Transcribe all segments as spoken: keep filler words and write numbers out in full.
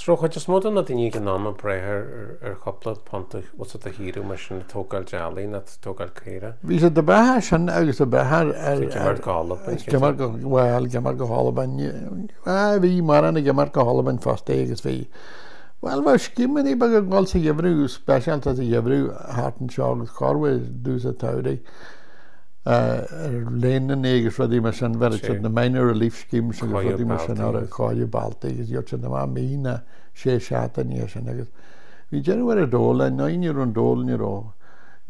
So raibh chuid is mó de na daoine ag an am ag brath ar ar chúpla punt a bhfuil siad a shaothrú mar sin ag tógáil teaghlaigh nó ag tógáil caora. Bhí siad ag brath air sin agus ag brath ar ar Ag imirt go hAlbain. Ag imirt go bhuel ag imirt go hAlbain bhuel bhí mórán ag imirt go hAlbain fosta agus bhí bhuel bheadh scéimeanna beaga ag dul sa gheimhreadh speisialta sa gheimhreadh thart anseo agus corruair i dtús an tsamhraidh ar léananna agus rudaí mar sin, bheireadh siad na minor relief schemes agus rudaí mar sin orthu, cóiriú bealtaí agus gheobhadh siad amach mí nó sé seachtainí as sin agus bhí deireadh ar an dole, ar ndóigh ní raibh an dole, ní raibh,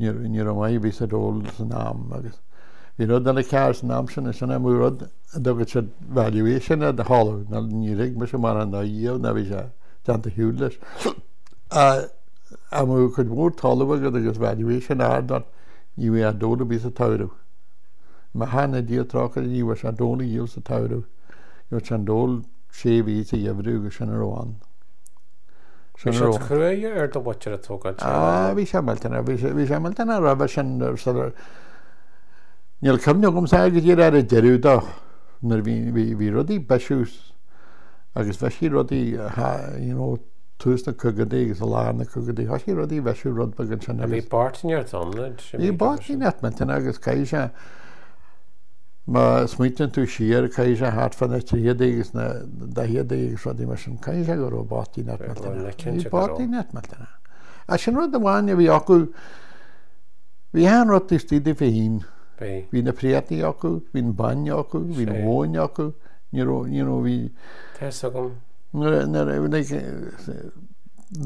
ní raibh, ní raibh maith ar bith sa dole san am agus bhí rud eile cearr san am sin, sin an rud a dtugadh siad valuation ar do thalamh, nó ní thuig mise mórán dó riamh ná bhí sé déanta shiúl leis. Dá mbeadh cuid mhór talamh agat agus valuation ard ort, ní bheadh dole ar bith sa tsamhradh. Maith na Dia trócaire ní bheadh sé dole a dhíol sa tsamhradh. Gheobhadh sé an dole sé mhí sa gheimhreadh agus sin a raibh ann. Bhí Sin a sé raibh ann. cruaidh ar do mhuintir ag tógáil Ah, teaghlaigh. bhí sé millteanach, bhí sé, bhí sé millteanach roimhe sin sular, níl cuimhne agamsa go díreach ar an deireadh dó nuair a bhí, bhí, bhí rudaí ag bisiú agus bhisigh rudaí, you know, tús na caogaidí agus i lár na caogaidí, thoisigh rudaí a bhisiú rud beag ansin Bhí agus. bochtaineacht ann, Bhí bochtaineacht millteanach agus caithfidh sé, má smaoitíonn tú siar, caithfidh sé thart fá na tríochadaí agus na daicheadaí agus rudaí mar sin, caithfidh sé go raibh bochtaineacht millteanach. Bhí bochtaineacht millteanach. Ach sin rud amháin a bhí acu, bhí achan rud taobh istigh díofa féin. Bhí. Bhí na préataí acu, bhí an bainne acu, bhí an mhóin acu, ní raibh, ní raibh, bhí. Tá fhios agam. Nuair a, nuair a, like,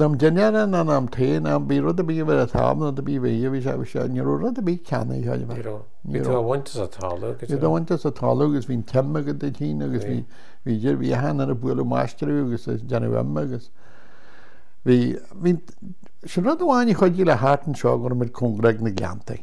am dinnéara ná am tae ná bhí rud ar bith a bheith ar tábla nó rud ar bith a bheith, bhí sé, bhí sé, ní raibh rud ar bith ceannaithe ar Ní bith. raibh. Ní Bhí tú raibh. á bhaint as an talamh go Bhí tú á deo. bhaint as an talamh agus bhí an t-im agat duit féin agus Bhí. bhí, bhí dir, bhí achan duine ag bualadh máistreadh agus ag déanamh im agus bhí, bhí, sin rud amháin a chuidigh le thart anseo go raibh muid cóngarach ag na gleanntaí.